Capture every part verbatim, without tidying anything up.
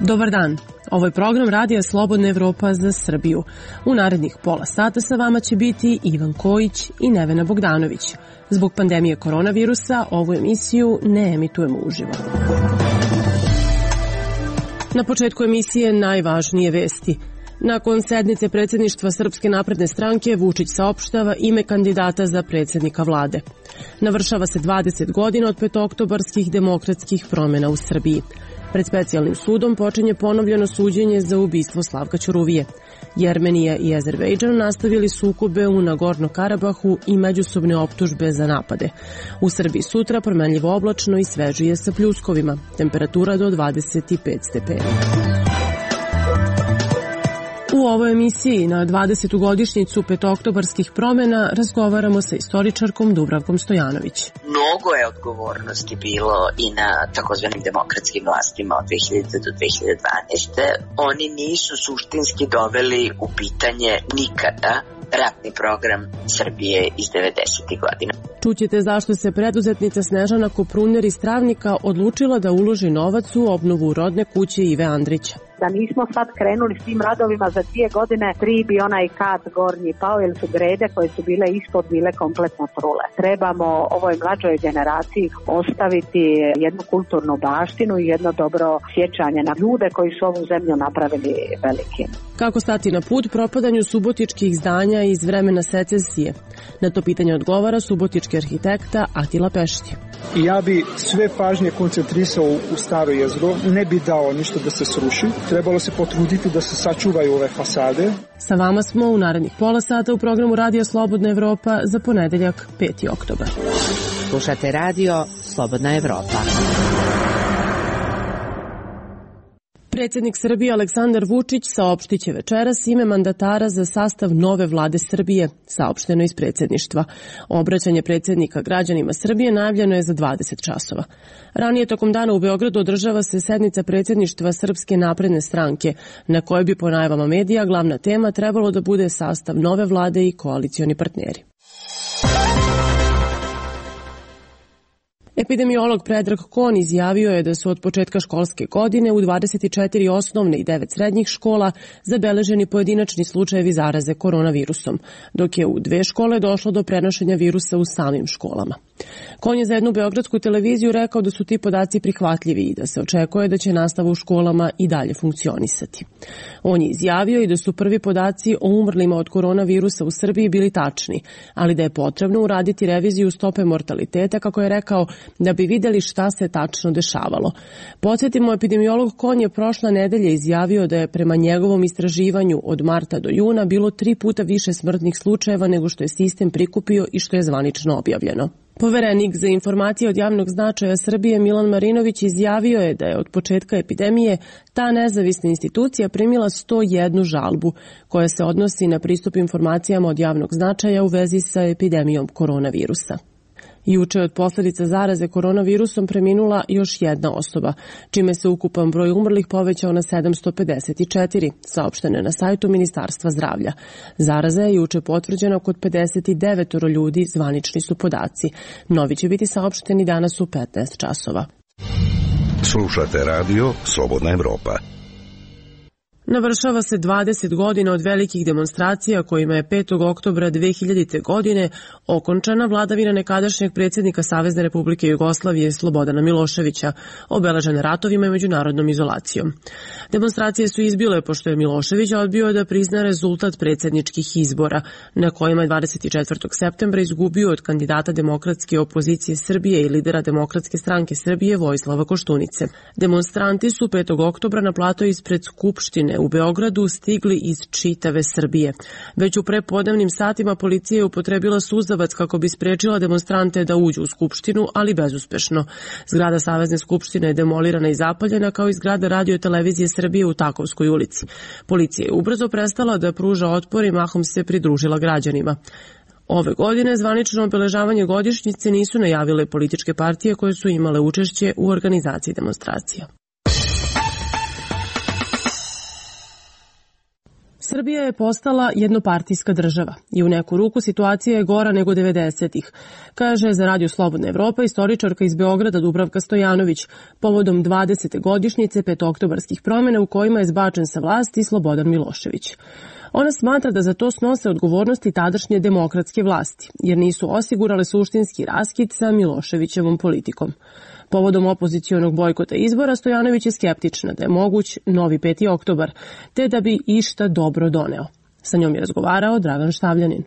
Dobar dan, ovo je program Radija Slobodna Evropa za Srbiju. U narednih pola sata sa vama će biti Ivan Kojić i Nevena Bogdanović. Zbog pandemije koronavirusa ovu emisiju ne emitujemo uživo. Na početku emisije najvažnije vesti. Nakon sednice predsjedništva Srpske napredne stranke, Vučić saopštava ime kandidata za predsjednika vlade. Navršava se dvadeset godina od petooktobarskih demokratskih promjena u Srbiji. Pred specijalnim sudom počinje ponovljeno suđenje za ubistvo Slavka Ćuruvije. Jermenija i Azerbejdžan nastavili sukobe u Nagorno-Karabahu i međusobne optužbe za napade. U Srbiji sutra promenljivo oblačno i svežije sa pljuskovima. Temperatura do dvadeset pet stepeni. U ovoj emisiji na dvadesetu godišnjicu petooktobarskih promjena razgovaramo sa istoričarkom Dubravkom Stojanović. Mnogo je odgovornosti bilo i na takozvanim demokratskim vlastima od dve hiljadite do dve hiljade dvanaeste. Oni nisu suštinski doveli u pitanje nikada ratni program Srbije iz devedesetih godina. Čućete zašto se preduzetnica Snežana Kopruner iz Travnika odlučila da uloži novac u obnovu rodne kuće Ive Andrića. Da nismo sad krenuli s tim radovima za dvije godine, tri bi onaj kat gornji pao, jer su grede koje su bile ispod bile kompletno trule. Trebamo ovoj mlađoj generaciji ostaviti jednu kulturnu baštinu i jedno dobro sjećanje na ljude koji su ovu zemlju napravili velikim. Kako stati na put propadanju subotičkih zdanja iz vremena secesije? Na to pitanje odgovara subotički arhitekta Atila Pešti. Ja bi sve pažnje koncentrisao u staro jezgro, ne bi dao ništa da se sruši. Trebalo se potruditi da se sačuvaju ove fasade. Sa vama smo u narednih pola sata u programu Radija Slobodna Evropa za ponedeljak peti oktobar. Slušate Radio Slobodna Evropa. Predsjednik Srbije Aleksandar Vučić saopštit će večeras ime mandatara za sastav nove vlade Srbije, saopšteno iz predsjedništva. Obraćanje predsjednika građanima Srbije najavljeno je za dvadeset časova. Ranije tokom dana u Beogradu održava se sednica predsjedništva Srpske napredne stranke, na kojoj bi po najavama medija glavna tema trebalo da bude sastav nove vlade i koalicioni partneri. Epidemiolog Predrag Kon izjavio je da su od početka školske godine u dvadeset četiri osnovne i devet srednjih škola zabeleženi pojedinačni slučajevi zaraze koronavirusom, dok je u dve škole došlo do prenošenja virusa u samim školama. Kon je za jednu beogradsku televiziju rekao da su ti podaci prihvatljivi i da se očekuje da će nastava u školama i dalje funkcionisati. On je izjavio i da su prvi podaci o umrlima od koronavirusa u Srbiji bili tačni, ali da je potrebno uraditi reviziju stope mortaliteta, kako je rekao, da bi vidjeli šta se tačno dešavalo. Podsjetimo, epidemiolog Kon je prošla nedelje izjavio da je prema njegovom istraživanju od marta do juna bilo tri puta više smrtnih slučajeva nego što je sistem prikupio i što je zvanično objavljeno. Poverenik za informacije od javnog značaja Srbije Milan Marinović izjavio je da je od početka epidemije ta nezavisna institucija primila sto jednu žalbu koja se odnosi na pristup informacijama od javnog značaja u vezi sa epidemijom koronavirusa. Juče od posljedica zaraze koronavirusom preminula još jedna osoba, čime se ukupan broj umrlih povećao na sedamsto pedeset četiri, saopšteno je na sajtu Ministarstva zdravlja. Zaraza je juče potvrđena kod pedeset devet ljudi, zvanični su podaci. Novi će biti saopšteni danas u petnaest časova. Slušate Radio Slobodna Evropa. Navršava se dvadeset godina od velikih demonstracija kojima je petog oktobra dve hiljadite. godine okončana vladavina nekadašnjeg predsjednika Savezne Republike Jugoslavije Slobodana Miloševića, obeležena ratovima i međunarodnom izolacijom. Demonstracije su izbile pošto je Milošević odbio da prizna rezultat predsjedničkih izbora, na kojima je dvadeset četvrtog septembra izgubio od kandidata demokratske opozicije Srbije i lidera Demokratske stranke Srbije Vojislava Koštunice. Demonstranti su petog oktobra na plato ispred Skupštine u Beogradu stigli iz čitave Srbije. Već u prepodnevnim satima policija je upotrebila suzavac kako bi sprečila demonstrante da uđu u Skupštinu, ali bezuspešno. Zgrada Savezne skupštine je demolirana i zapaljena, kao i zgrada Radio televizije Srbije u Takovskoj ulici. Policija je ubrzo prestala da pruža otpor i mahom se pridružila građanima. Ove godine zvanično obeležavanje godišnjice nisu najavile političke partije koje su imale učešće u organizaciji demonstracija. Srbija je postala jednopartijska država i u neku ruku situacija je gora nego devedesetih, kaže za Radio Slobodna Evropa istoričarka iz Beograda Dubravka Stojanović povodom dvadesete godišnjice petooktobarskih promjena u kojima je zbačen sa vlasti Slobodan Milošević. Ona smatra da za to snose odgovornosti tadašnje demokratske vlasti, jer nisu osigurale suštinski raskid sa Miloševićevom politikom. Povodom opozicionog bojkota izbora, Stojanović je skeptična da je moguć novi peti oktobar, te da bi išta dobro doneo. Sa njom je razgovarao Dragan Štavljanin.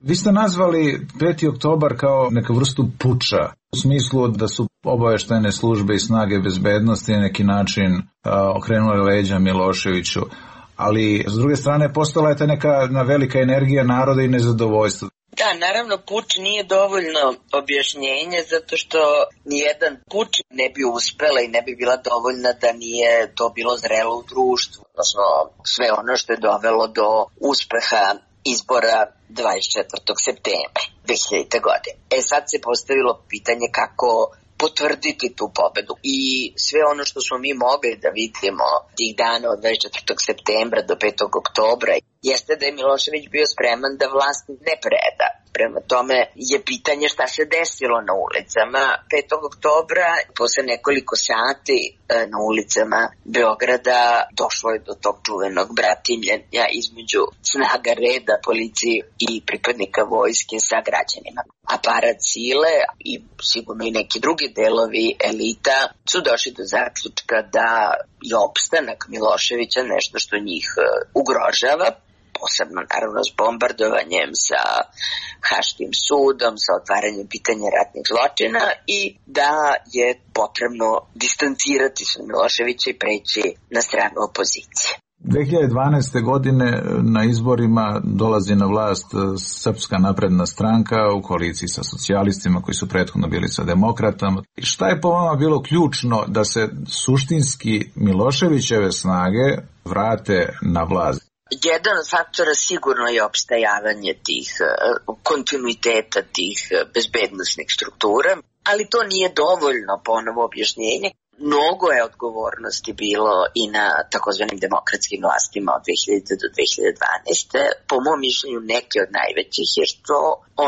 Vi ste nazvali peti oktobar kao neku vrstu puča, u smislu da su obaveštajne službe i snage bezbednosti na neki način a, okrenule leđa Miloševiću, ali s druge strane postala je ta neka velika energija naroda i nezadovoljstva. Da, naravno, puč nije dovoljno objašnjenje zato što nijedan puč ne bi uspela i ne bi bila dovoljna da nije to bilo zrelo u društvu. Odnosno, sve ono što je dovelo do uspeha izbora dvadeset četvrtog septembra dve hiljadite. godine. E sad se postavilo pitanje kako potvrditi tu pobedu. I sve ono što smo mi mogli da vidimo tih dana od dvadeset četvrtog septembra do petog oktobra jeste da je Milošević bio spreman da vlast ne preda. Prema tome je pitanje šta se desilo na ulicama petog oktobra. Posle nekoliko sati na ulicama Beograda došlo je do tog čuvenog bratimljenja između snaga reda, policije i pripadnika vojske sa građanima. Aparat sile i sigurno i neki drugi delovi elita su došli do zaključka da je opstanak Miloševića nešto što njih ugrožava, posebno naravno s bombardovanjem, sa Haškim sudom, sa otvaranjem pitanja ratnih zločina i da je potrebno distancirati se od Miloševića i preći na stranu opozicije. dve hiljade dvanaeste. godine na izborima dolazi na vlast Srpska napredna stranka u koaliciji sa socijalistima koji su prethodno bili sa demokratama. Šta je po vama bilo ključno da se suštinski Miloševićeve snage vrate na vlast? Jedan od faktora sigurno je opstajavanje tih kontinuiteta, tih bezbednosnih struktura, ali to nije dovoljno ponovo objašnjenje. Mnogo je odgovornosti bilo i na takozvanim demokratskim vlastima od dve hiljadite. do dve hiljade dvanaeste. Po mom mišljenju neke od najvećih je što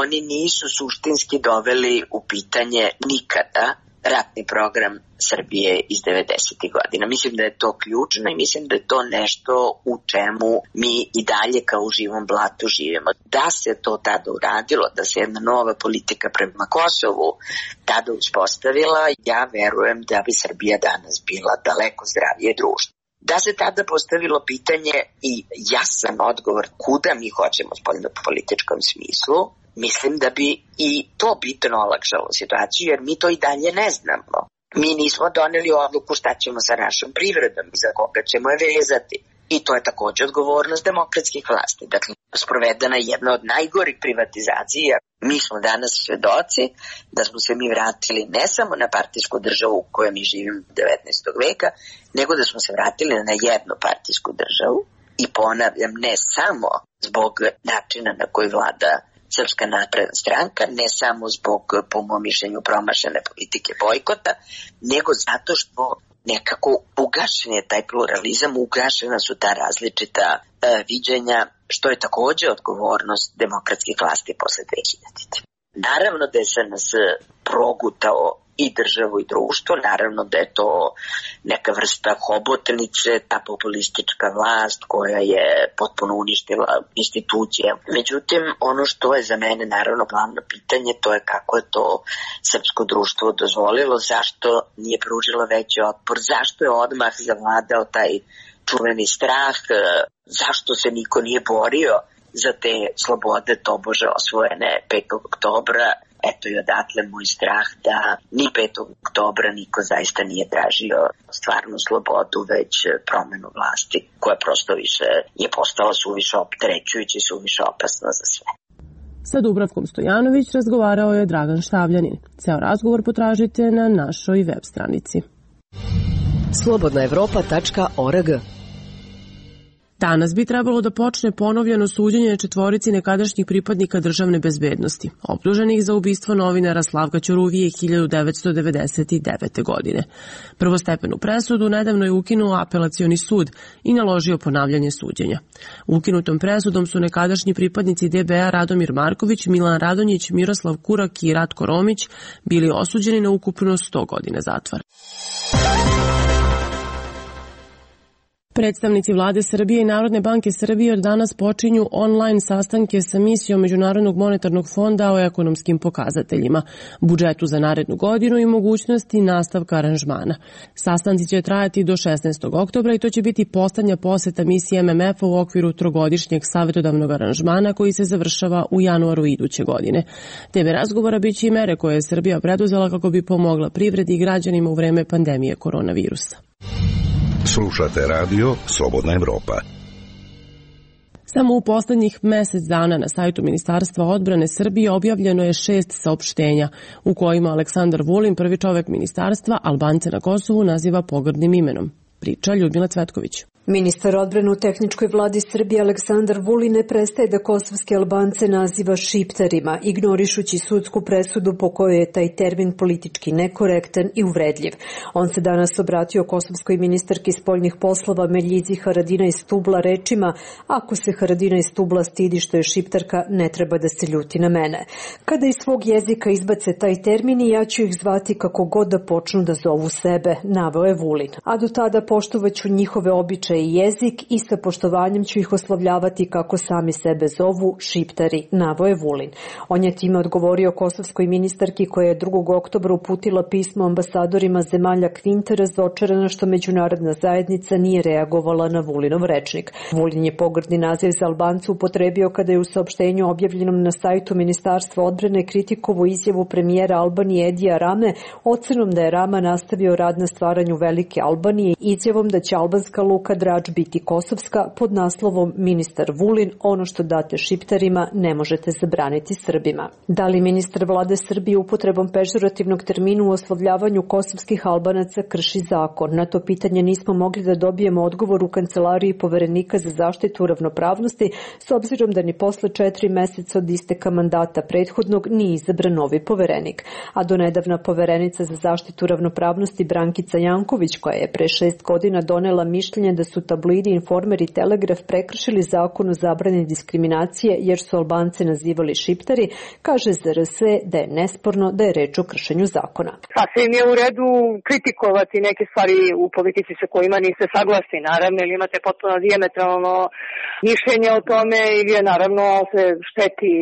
oni nisu suštinski doveli u pitanje nikada ratni program Srbije iz devedesetih. godina. Mislim da je to ključno i mislim da je to nešto u čemu mi i dalje kao u živom blatu živimo. Da se to tada uradilo, da se jedna nova politika prema Kosovu tada uspostavila, ja verujem da bi Srbija danas bila daleko zdravije društvo. Da se tada postavilo pitanje i jasan odgovor kuda mi hoćemo u spoljnopolitičkom smislu, mislim da bi i to bitno olakšalo situaciju, jer mi to i dalje ne znamo. Mi nismo doneli odluku šta ćemo sa našom privredom i za koga ćemo je vezati. I to je također odgovornost demokratskih vlasti. Dakle, sprovedena je jedna od najgorih privatizacija. Mi smo danas svedoci da smo se mi vratili ne samo na partijsku državu u kojoj mi živimo devetnaestog. veka, nego da smo se vratili na jednopartijsku državu. I ponavljam, ne samo zbog načina na koji vlada Srpska napredna stranka, ne samo zbog, po mom mišljenju, promašene politike bojkota, nego zato što nekako ugašen je taj pluralizam, ugašena su ta različita e, viđenja, što je također odgovornost demokratskih vlasti posle dve hiljadite. Naravno da je S N S progutao i državu i društvo, naravno da je to neka vrsta hobotnice, ta populistička vlast koja je potpuno uništila institucije. Međutim, ono što je za mene naravno glavno pitanje, to je kako je to srpsko društvo dozvolilo, zašto nije pružilo veći otpor, zašto je odmah zavladao taj čuveni strah, zašto se niko nije borio za te slobode tobože osvojene petog oktobra. Eto i odatle moj strah da ni petog oktobra niko zaista nije tražio stvarnu slobodu, već promenu vlasti koja prosto više je postala suviše opterećujuća i suviše opasna za sve. Sa Dubravkom Stojanović razgovarao je Dragan Štavljanin. Ceo razgovor potražite na našoj web stranici. slobodna evropa tačka org Danas bi trebalo da počne ponovljeno suđenje četvorici nekadašnjih pripadnika državne bezbednosti, optuženih za ubistvo novinara Slavka Ćuruvije hiljadu devetsto devedeset devete. godine. Prvostepenu presudu nedavno je ukinuo apelacioni sud i naložio ponavljanje suđenja. Ukinutom presudom su nekadašnji pripadnici D B A Radomir Marković, Milan Radonjić, Miroslav Kurak i Ratko Romić bili osuđeni na ukupno sto godina zatvora. Predstavnici vlade Srbije i Narodne banke Srbije od danas počinju online sastanke sa misijom Međunarodnog monetarnog fonda o ekonomskim pokazateljima, budžetu za narednu godinu i mogućnosti nastavka aranžmana. Sastanci će trajati do šesnaestog oktobra i to će biti poslednja poseta misije M M F-a u okviru trogodišnjeg savjetodavnog aranžmana koji se završava u januaru iduće godine. Teme razgovora biće i mere koje je Srbija preduzela kako bi pomogla privredi i građanima u vreme pandemije koronavirusa. Slušate radio Slobodna Evropa. Samo u poslednjih mesec dana na sajtu Ministarstva odbrane Srbije objavljeno je šest saopštenja u kojima Aleksandar Vulin, prvi čovek ministarstva, Albance na Kosovu naziva pogrdnim imenom. Priča Ljudmila Cvetković. Ministar odbrane u tehničkoj vladi Srbije Aleksandar Vulin ne prestaje da kosovske Albance naziva šiptarima, ignorišući sudsku presudu po kojoj je taj termin politički nekorektan i uvredljiv. On se danas obratio kosovskoj ministarki spoljnih poslova Meljizi Haradinaj Stubla rečima: ako se Haradinaj Stubla stidi što je šiptarka, ne treba da se ljuti na mene. Kada iz svog jezika izbace taj termin, ja ću ih zvati kako god da počnu da zovu sebe, naveo je Vulin. A do tada poštovaću njihove običaje i jezik i sa poštovanjem ću ih oslovljavati kako sami sebe zovu, šiptari, naveo je Vulin. On je time odgovorio kosovskoj ministarki koja je drugog oktobra uputila pismo ambasadorima zemalja Kvinte razočarana što međunarodna zajednica nije reagovala na Vulinov rečnik. Vulin je pogrdni naziv za Albance upotrebio kada je u saopštenju objavljenom na sajtu Ministarstva odbrane kritikovu izjavu premijera Albanije Edija Rame ocenom da je Rama nastavio rad na stvaranju Velike Albanije i izjavom da će albanska luka Drač biti kosovska pod naslovom Ministar Vulin, ono što date šiptarima ne možete zabraniti Srbima. Da li ministar vlade Srbije upotrebom pežorativnog termina u oslovljavanju kosovskih Albanaca krši zakon? Na to pitanje nismo mogli da dobijemo odgovor u kancelariji poverenika za zaštitu ravnopravnosti, s obzirom da ni posle četiri meseca od isteka mandata prethodnog nije izabran novi poverenik. A donedavna poverenica za zaštitu ravnopravnosti Brankica Janković, koja je pre šest godina donela mišljenje da su tabloidi Informer i Telegraf prekršili zakon o zabrani diskriminacije jer su Albance nazivali šiptari, kaže Z R S da je nesporno da je reč o kršenju zakona. Sasvim je u redu kritikovati neke stvari u politici sa kojima niste saglasni, naravno, ili imate potpuno dijametralno mišljenje o tome ili je naravno se šteti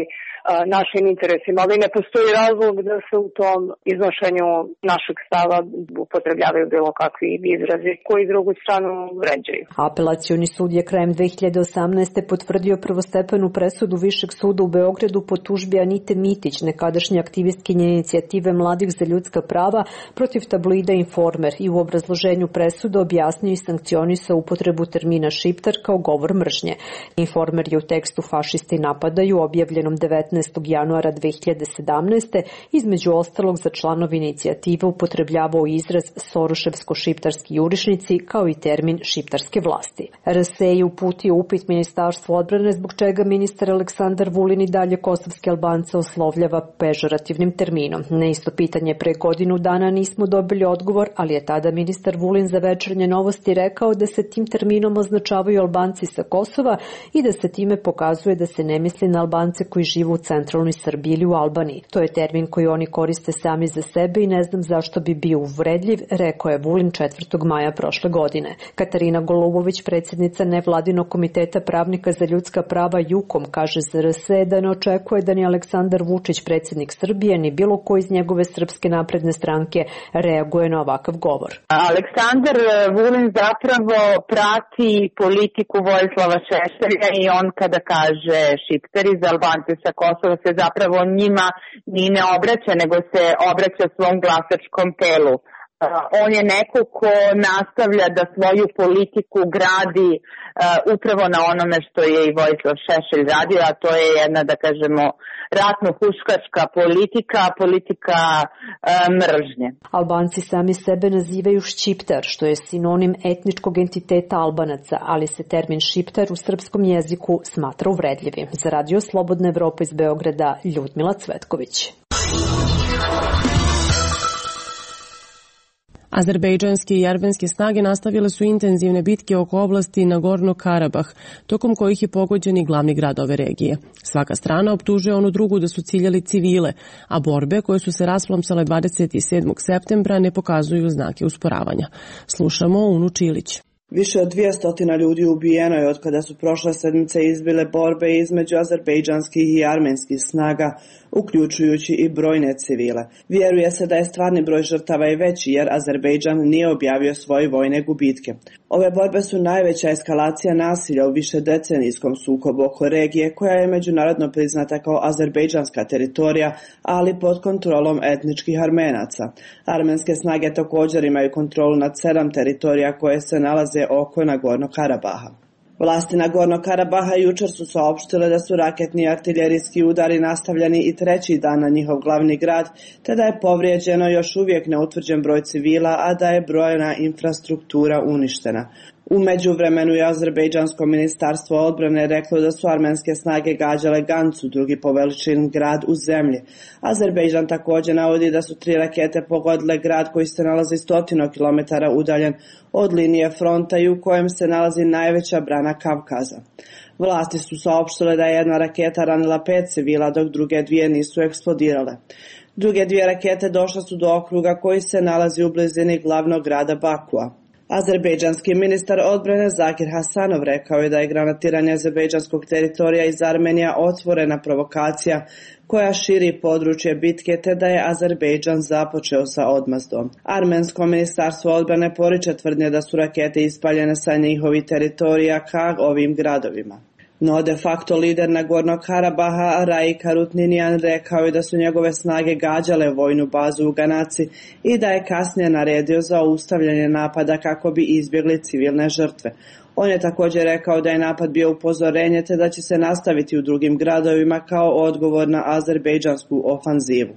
našim interesima, ali ne postoji razlog da se u tom iznošenju našeg stava upotrebljavaju bilo kakvi izrazi koji drugu stranu vređaju. Apelacioni sud je krajem dve hiljade osamnaeste. potvrdio prvostepenu presudu Višeg suda u Beogradu po tužbi Anite Mitić, nekadašnje aktivistkinje inicijative Mladih za ljudska prava, protiv tabloida Informer i u obrazloženju presude objasnio i sankcionisao upotrebu termina šiptar kao govor mržnje. Informer je u tekstu Fašisti napadaju, objavljenom devetnaestog januara dve hiljade sedamnaeste. između ostalog za članove inicijative upotrebljavao izraz soroševsko-šiptarski jurišnici kao i termin šiptarske vlasti. R S E je uputio upit Ministarstvu odbrane zbog čega ministar Aleksandar Vulin i dalje kosovske Albance oslovljava pežorativnim terminom. Na isto pitanje pre godinu dana nismo dobili odgovor, ali je tada ministar Vulin za Večernje novosti rekao da se tim terminom označavaju Albanci sa Kosova i da se time pokazuje da se ne misli na Albance koji žive u centralnoj Srbiji ili u Albaniji. To je termin koji oni koriste sami za sebe i ne znam zašto bi bio uvredljiv, rekao je Vulin četvrtog maja prošle godine. Katarina Golubović, predsjednica nevladinog komiteta pravnika za ljudska prava Jukom, kaže za R S E da ne očekuje da ni Aleksandar Vučić, predsjednik Srbije, ni bilo ko iz njegove Srpske napredne stranke reaguje na ovakav govor. Aleksandar Vulin zapravo prati politiku Vojislava Šešelja i on kada kaže šiptari za Albance sa Kosova se zapravo njima ni ne obraća, nego se obraća svom glasačkom telu. On je neko ko nastavlja da svoju politiku gradi uh, upravo na onome što je i Vojislav Šešelj radio, a to je jedna, da kažemo, ratno-huškačka politika, politika uh, mržnje. Albanci sami sebe nazivaju šćiptar, što je sinonim etničkog entiteta Albanaca, ali se termin šiptar u srpskom jeziku smatra uvredljivim. Za Radio Slobodna Evropa iz Beograda, Ljudmila Cvetković. Azerbejdžanske i armenske snage nastavile su intenzivne bitke oko oblasti Nagorno-Karabah, tokom kojih je pogođen i glavni grad ove regije. Svaka strana optužuje onu drugu da su ciljali civile, a borbe koje su se rasplomsale dvadeset sedmog septembra ne pokazuju znake usporavanja. Slušamo Unu Čilić. Više od dvjesto ljudi ubijeno je od kada su prošle sedmice izbile borbe između azerbejdžanskih i armenskih snaga, uključujući i brojne civile. Vjeruje se da je stvarni broj žrtava i veći jer Azerbejdžan nije objavio svoje vojne gubitke. Ove borbe su najveća eskalacija nasilja u višedecenijskom sukobu oko regije koja je međunarodno priznata kao azerbejdžanska teritorija, ali pod kontrolom etničkih Armenaca. Armenske snage također imaju kontrolu nad sedam teritorija koje se nalaze oko Nagorno-Karabaha. Vlasti Nagorno-Karabaha jučer su saopštile da su raketni i artiljerijski udari nastavljeni i treći dan na njihov glavni grad, te da je povrijeđeno još uvijek neutvrđen broj civila, a da je brojna infrastruktura uništena. U međuvremenu je Azerbejdžansko ministarstvo odbrane reklo da su armenske snage gađale Gancu, drugi po veličini grad u zemlji. Azerbejdžan također navodi da su tri rakete pogodile grad koji se nalazi stotinu kilometara udaljen od linije fronta i u kojem se nalazi najveća brana Kavkaza. Vlasti su saopštile da je jedna raketa ranila pet civila, dok druge dvije nisu eksplodirale. Druge dvije rakete došle su do okruga koji se nalazi u blizini glavnog grada Bakua. Azerbejdžanski ministar odbrane Zakir Hasanov rekao je da je granatiranje azerbejdžanskog teritorija iz Armenija otvorena provokacija koja širi područje bitke, te da je Azerbejdžan započeo sa odmazdom. Armensko ministarstvo odbrane poriče tvrdnje da su rakete ispaljene sa njihovih teritorija ka ovim gradovima. No de facto lider Nagorno-Karabaha Raik Harutninian rekao je da su njegove snage gađale vojnu bazu u Ganaci i da je kasnije naredio za ustavljanje napada kako bi izbjegli civilne žrtve. On je također rekao da je napad bio upozorenje te da će se nastaviti u drugim gradovima kao odgovor na azerbejdžansku ofanzivu.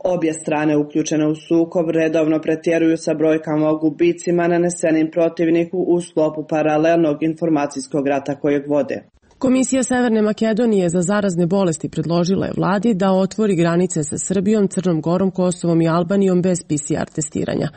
Obje strane uključene u sukob redovno pretjeruju sa brojkama o gubicima nanesenim protivniku u sklopu paralelnog informacijskog rata kojeg vode. Komisija Severne Makedonije za zarazne bolesti predložila je vladi da otvori granice sa Srbijom, Crnom Gorom, Kosovom i Albanijom bez P C R testiranja.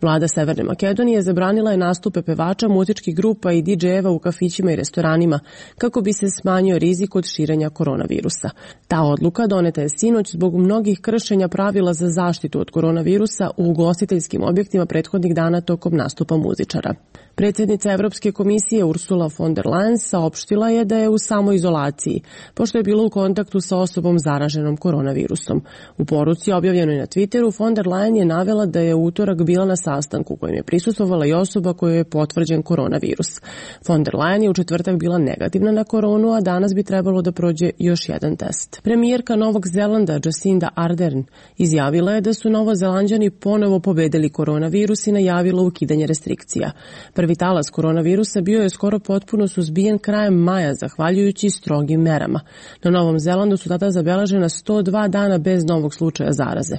Vlada Severne Makedonije zabranila je nastupe pevača, muzičkih grupa i D J-eva u kafićima i restoranima kako bi se smanjio rizik od širenja koronavirusa. Ta odluka doneta je sinoć zbog mnogih kršenja pravila za zaštitu od koronavirusa u ugostiteljskim objektima prethodnih dana tokom nastupa muzičara. Predsjednica Evropske komisije Ursula von der Leyen saopštila je da je u samoizolaciji, pošto je bila u kontaktu sa osobom zaraženom koronavirusom. U poruci objavljenoj na Twitteru, von der Leyen je navela da je u utorak bila na sastanku kojem je prisustvovala i osoba kojoj je potvrđen koronavirus. Von der Leyen je u četvrtak bila negativna na koronu, a danas bi trebalo da prođe još jedan test. Premijerka Novog Zelanda Jacinda Ardern izjavila je da su Novozelanđani ponovo pobedili koronavirus i najavila ukidanje restrikcija. Prvi talas koronavirusa bio je skoro potpuno suzbijen krajem maja zahvaljujući strogim merama. Na Novom Zelandu su tada zabeležena sto dva dana bez novog slučaja zaraze.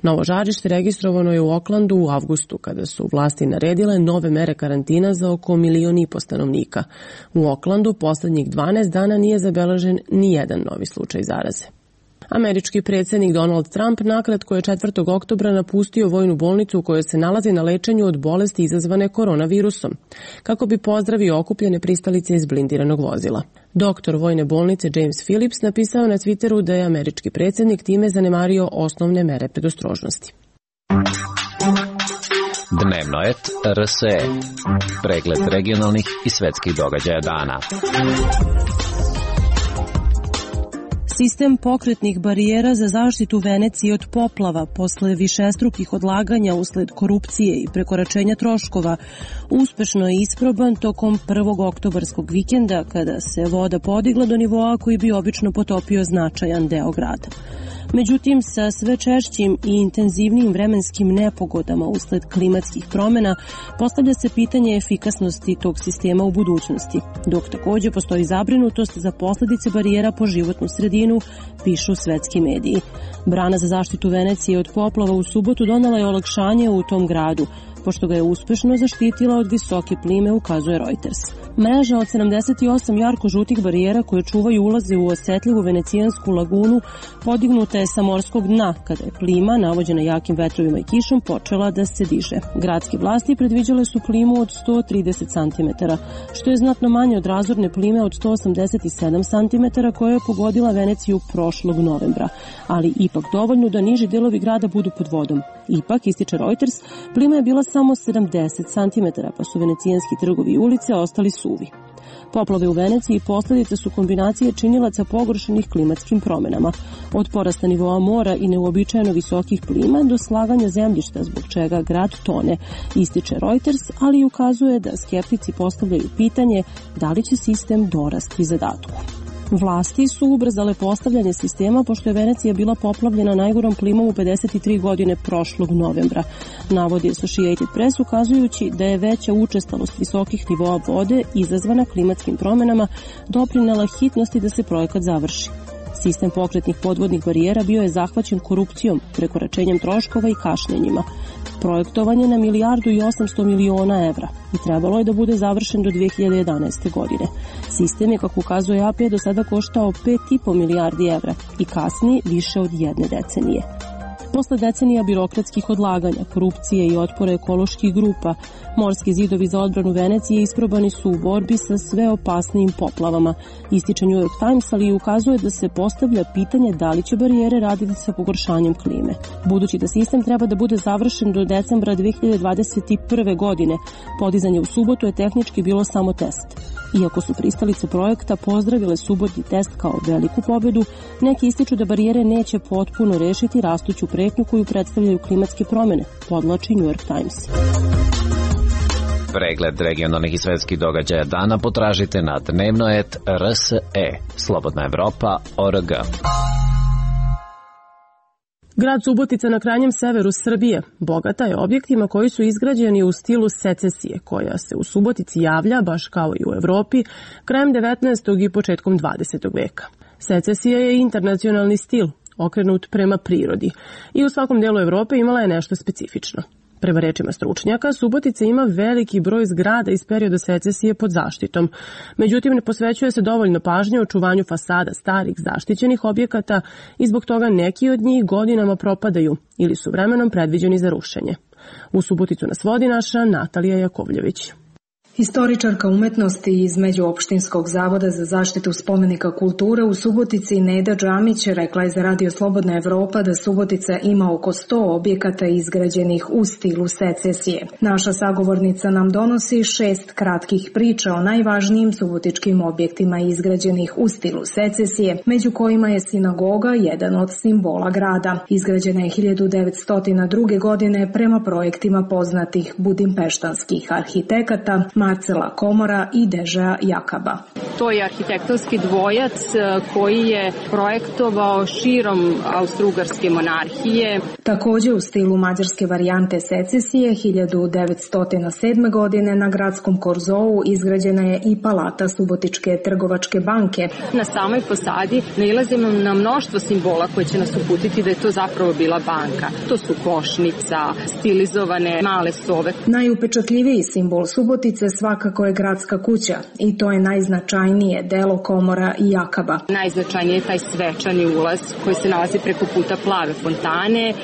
Novo žarište registrovano je u Aucklandu u avgustu, kada su vlasti naredile nove mere karantina za oko milion i po stanovnika. U Aucklandu poslednjih dvanaest dana nije zabeležen ni jedan novi slučaj zaraze. Američki predsjednik Donald Trump nakratko je četvrtog oktobra napustio vojnu bolnicu u kojoj se nalazi na lečenju od bolesti izazvane koronavirusom, kako bi pozdravio okupljene pristalice iz blindiranog vozila. Doktor vojne bolnice James Phillips napisao na Twitteru da je američki predsjednik time zanemario osnovne mere predostrožnosti. Dnevnoet R S E. Pregled regionalnih i svetskih događaja dana. Sistem pokretnih barijera za zaštitu Venecije od poplava posle višestrukih odlaganja usled korupcije i prekoračenja troškova uspešno je isproban tokom prvog oktobarskog vikenda kada se voda podigla do nivoa koji bi obično potopio značajan deo grada. Međutim, sa sve češćim i intenzivnijim vremenskim nepogodama usled klimatskih promjena postavlja se pitanje efikasnosti tog sistema u budućnosti, dok također postoji zabrinutost za posljedice barijera po životnu sredinu, pišu svetski mediji. Brana za zaštitu Venecije od poplava u subotu donela je olakšanje u tom gradu, pošto ga je uspešno zaštitila od visoke plime, ukazuje Reuters. Mreža od sedamdeset osam jarko-žutih barijera koje čuvaju ulaze u osetljivu venecijansku lagunu podignuta je sa morskog dna kada je plima, navođena jakim vetrovima i kišom, počela da se diže. Gradske vlasti predviđale su plimu od sto trideset centimetara, što je znatno manje od razorne plime od sto osamdeset sedam centimetara koja je pogodila Veneciju prošlog novembra, ali ipak dovoljno da niži delovi grada budu pod vodom. Ipak, ističe Reuters, plima je bila samo sedamdeset centimetara, pa su venecijanski trgovi i ulice ostali suvi. Poplave u Veneciji posljedice su kombinacije činilaca pogoršenih klimatskim promjenama, od porasta nivoa mora i neuobičajeno visokih plima do slaganja zemljišta zbog čega grad tone, ističe Reuters, ali ukazuje da skeptici postavljaju pitanje da li će sistem dorasti zadatku. Vlasti su ubrzale postavljanje sistema pošto je Venecija bila poplavljena najgorom plimom u pedeset tri godine prošlog novembra, navodi Associated Press, ukazujući da je veća učestalost visokih nivoa vode izazvana klimatskim promjenama doprinela hitnosti da se projekat završi. Sistem pokretnih podvodnih barijera bio je zahvaćen korupcijom, prekoračenjem troškova i kašnjenjima. Projektovan je na milijardu i osamsto miliona evra i trebalo je da bude završen do dve hiljade jedanaeste. godine. Sistem je, kako ukazuje A P, do sada koštao pet i po milijardi evra i kasni više od jedne decenije. Posle decenija birokratskih odlaganja, korupcije i otpora ekoloških grupa, morski zidovi za odbranu Venecije isprobani su u borbi sa sve opasnijim poplavama, ističe New York Times, ali ukazuje da se postavlja pitanje da li će barijere raditi sa pogoršanjem klime. Budući da sistem treba da bude završen do decembra dve hiljade dvadeset prve. godine, podizanje u subotu je tehnički bilo samo test. Iako su pristalice projekta pozdravile subotni test kao veliku pobedu, neki ističu da barijere neće potpuno rešiti rastuću pretnju koju predstavljaju klimatske promjene, podvlači New York Times. Pregled regionalnih i svetskih događaja dana potražite na dnevnoet R S E, Slobodna Evropa, O R G. Grad Subotica na krajnjem severu Srbije bogata je objektima koji su izgrađeni u stilu secesije, koja se u Subotici javlja, baš kao i u Evropi, krajem devetnaestog i početkom dvadesetog veka. Secesija je internacionalni stil, okrenut prema prirodi, i u svakom delu Evrope imala je nešto specifično. Prema rečima stručnjaka, Subotica ima veliki broj zgrada iz perioda secesije pod zaštitom. Međutim, ne posvećuje se dovoljno pažnje očuvanju fasada starih zaštićenih objekata i zbog toga neki od njih godinama propadaju ili su vremenom predviđeni za rušenje. U Suboticu nas vodi naša Natalija Jakovljević. Historičarka umetnosti iz Međuopštinskog zavoda za zaštitu spomenika kulture u Subotici Neda Džamić rekla je za Radio Slobodna Evropa da Subotica ima oko sto objekata izgrađenih u stilu secesije. Naša sagovornica nam donosi šest kratkih priča o najvažnijim subotičkim objektima izgrađenih u stilu secesije, među kojima je sinagoga jedan od simbola grada. Izgrađena je hiljadu devetsto druge. godine prema projektima poznatih budimpeštanskih arhitekata Marcela Komora i Deža Jakaba. To je arhitektonski dvojac koji je projektovao širom Austro-Ugarske monarhije. Također u stilu mađarske varijante secesije hiljadu devetsto sedme. godine na gradskom Korzou izgrađena je i palata Subotičke trgovačke banke. Na samoj fasadi nailazimo na mnoštvo simbola koje će nas uputiti da je to zapravo bila banka. To su košnica, stilizovane male sove. Najupečatljiviji simbol Subotice svakako je gradska kuća i to je najznačajnije delo Komora i Jakaba. Najznačajnije je taj svečani ulaz koji se nalazi preko puta Plave fontane.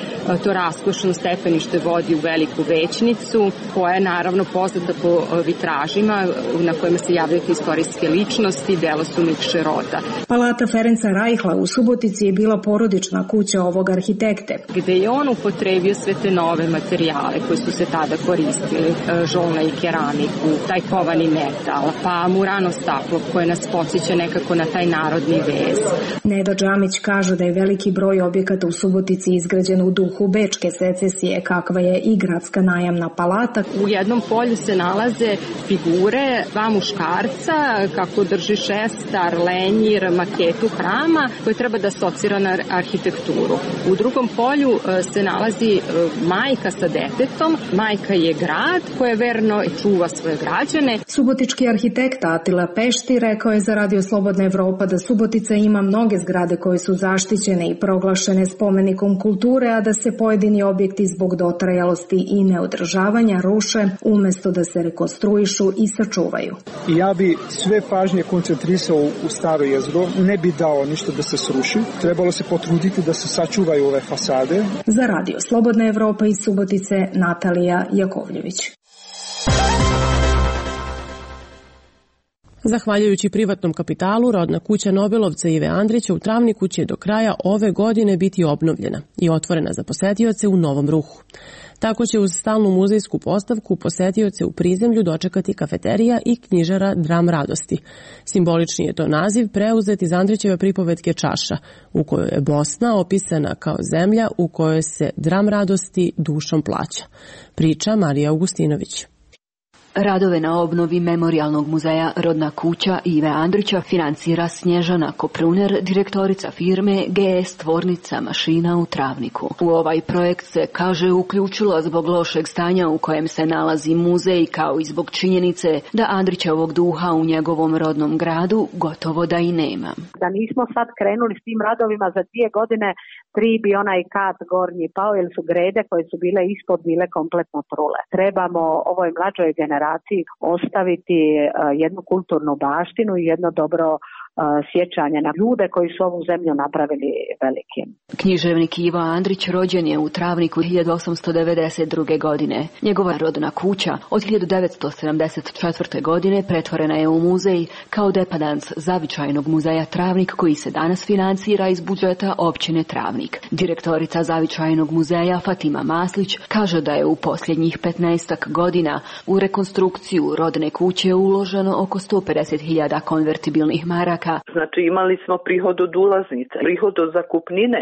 To raskošno stepenište vodi u veliku većnicu koja je naravno poznata po vitražima na kojima se javljaju istorijske ličnosti, delo su Mikše Rota. Palata Ferenca Rajhla u Subotici je bila porodična kuća ovog arhitekte, gde je on upotrebio sve te nove materijale koji su se tada koristili, žolna i keramiku, taj kovani metal, pa murano staklo koje nas podsjeća nekako na taj narodni vez. Neda Džamić kaže da je veliki broj objekata u Subotici izgrađen u duhu bečke secesije, kakva je i gradska najamna palata. U jednom polju se nalaze figure, dva muškarca, kako drži šestar, lenjir, maketu hrama koje treba da asocira na arhitekturu. U drugom polju se nalazi majka sa detetom. Majka je grad koja verno čuva svoje građane. Subotički arhitekt Atila Pešti rekao je za Radio Slobodna Evropa da Subotica ima mnoge zgrade koje su zaštićene i proglašene spomenikom kulture, a da se pojedini objekti zbog dotrajalosti i neodržavanja ruše umesto da se rekonstruišu i sačuvaju. Ja bi sve pažnje koncentrisao u staro jezgro, ne bi dao ništa da se sruši. Trebalo se potruditi da se sačuvaju ove fasade. Za Radio Slobodna Evropa iz Subotice, Natalija Jakovljević. Zahvaljujući privatnom kapitalu, rodna kuća Nobelovca Ive Andrića u Travniku će do kraja ove godine biti obnovljena i otvorena za posetioce u novom ruhu. Tako će uz stalnu muzejsku postavku posetioce u prizemlju dočekati kafeterija i knjižara Dram radosti. Simbolični je to naziv preuzet iz Andrićeve pripovetke Čaša, u kojoj je Bosna opisana kao zemlja u kojoj se dram radosti dušom plaća. Priča Marija Augustinović. Radove na obnovi Memorijalnog muzeja Rodna kuća Ive Andrića financira Snježana Kopruner, direktorica firme G S Tvornica mašina u Travniku. U ovaj projekt se, kaže, uključilo zbog lošeg stanja u kojem se nalazi muzej, kao i zbog činjenice da Andrićevog duha u njegovom rodnom gradu gotovo da i nema. Da nismo sad krenuli s tim radovima za dvije godine, tri bi onaj kat gornji pao, jer su grede koje su bile ispod bile kompletno trule. Trebamo ovoj mlađoj generaciji ostaviti jednu kulturnu baštinu i jedno dobro sjećanje na ljude koji su ovu zemlju napravili velikim. Književnik Ivo Andrić rođen je u Travniku hiljadu osamsto devedeset druge. godine. Njegova rodna kuća od hiljadu devetsto sedamdeset četvrte. godine pretvorena je u muzej kao depadans Zavičajnog muzeja Travnik, koji se danas financira iz budžeta općine Travnik. Direktorica Zavičajnog muzeja Fatima Maslić kaže da je u posljednjih petnaestak godina u rekonstrukciju rodne kuće uloženo oko sto pedeset hiljada konvertibilnih maraka. Znači imali smo prihod od ulaznice, prihod od zakupnine,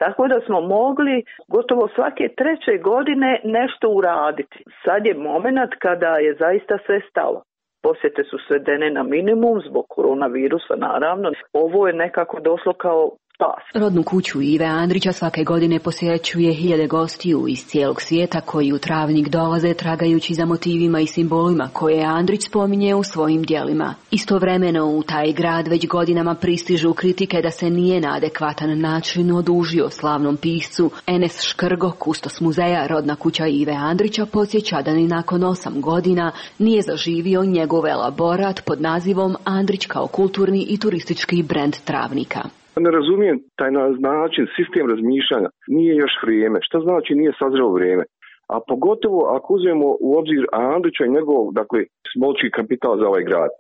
tako da smo mogli gotovo svake treće godine nešto uraditi. Sad je moment kada je zaista sve stalo. Posjete su svedene na minimum zbog koronavirusa, naravno. Ovo je nekako došlo kao spas. Rodnu kuću Ive Andrića svake godine posjećuje hiljade gostiju iz cijelog svijeta koji u Travnik dolaze tragajući za motivima i simbolima koje Andrić spominje u svojim djelima. Istovremeno u taj grad već godinama pristižu kritike da se nije na adekvatan način odužio slavnom piscu Enes Škrgo, kustos muzeja Rodna kuća Ive Andrića, podsjeća da ni nakon osam godina nije zaživio njegov elaborat pod nazivom Andrić kao kulturni i turistički brend Travnika. Ne razumijem taj način, sistem razmišljanja. Nije još vrijeme. Šta znači nije sazrelo vrijeme? A pogotovo ako uzmemo u obzir Andrića i njegov, dakle, smolčki kapital za ovaj grad.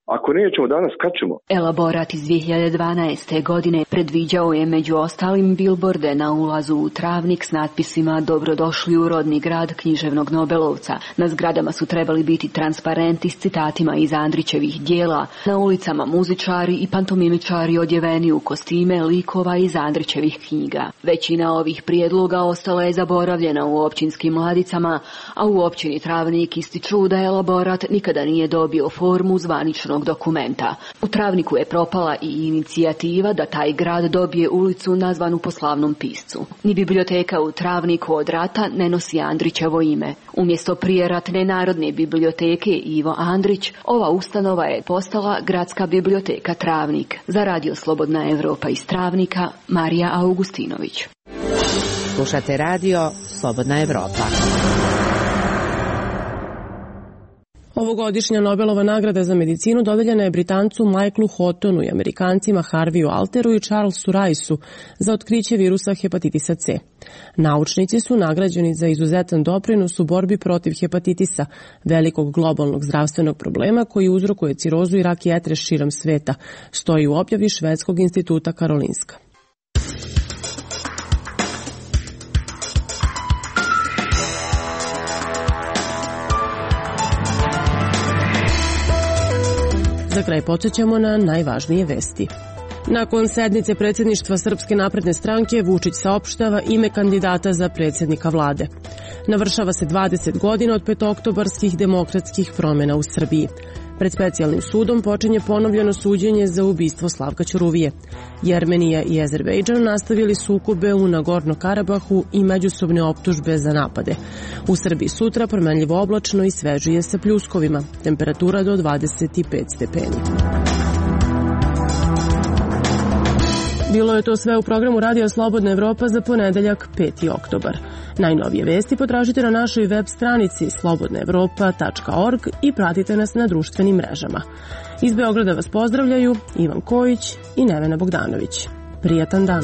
Ako nećemo danas, kad ćemo? Elaborat iz dvije hiljade dvanaeste. godine predviđao je među ostalim bilborde na ulazu u Travnik s natpisima Dobrodošli u rodni grad književnog Nobelovca. Na zgradama su trebali biti transparenti s citatima iz Andrićevih dijela, na ulicama muzičari i pantomimičari odjeveni u kostime likova iz Andrićevih knjiga. Većina ovih prijedloga ostala je zaboravljena u općinskim ladicama, a u općini Travnik ističu da elaborat nikada nije dobio formu zvaničnog dokumenta. U Travniku je propala i inicijativa da taj grad dobije ulicu nazvanu po slavnom piscu. Ni biblioteka u Travniku od rata ne nosi Andrićevo ime. Umjesto prijeratne Narodne biblioteke Ivo Andrić, ova ustanova je postala Gradska biblioteka Travnik. Za Radio Slobodna Evropa iz Travnika, Marija Augustinović. Slušate Radio Slobodna Evropa. Ovogodišnja Nobelova nagrada za medicinu dodeljena je Britancu Michaelu Houghtonu i Amerikancima Harviju Alteru i Charlesu Riceu za otkriće virusa hepatitisa C. Naučnici su nagrađeni za izuzetan doprinos u borbi protiv hepatitisa, velikog globalnog zdravstvenog problema koji uzrokuje cirozu i rak jetre širom sveta, stoji u objavi Švedskog instituta Karolinska. Za kraj podsjećamo na najvažnije vesti. Nakon sednice predsjedništva Srpske napredne stranke, Vučić saopštava ime kandidata za predsjednika vlade. Navršava se dvadeset godina od petooktobarskih demokratskih promjena u Srbiji. Pred specijalnim sudom počinje ponovljeno suđenje za ubistvo Slavka Ćuruvije. Jermenija i Azerbejdžan nastavili sukobe u Nagorno-Karabahu i međusobne optužbe za napade. U Srbiji sutra promenljivo oblačno i svežije sa pljuskovima. Temperatura do dvadeset pet stepeni. Bilo je to sve u programu Radio Slobodna Evropa za ponedeljak peti oktobar. Najnovije vesti potražite na našoj web stranici slobodna evropa tačka org i pratite nas na društvenim mrežama. Iz Beograda vas pozdravljaju Ivan Kojić i Nevena Bogdanović. Prijatan dan!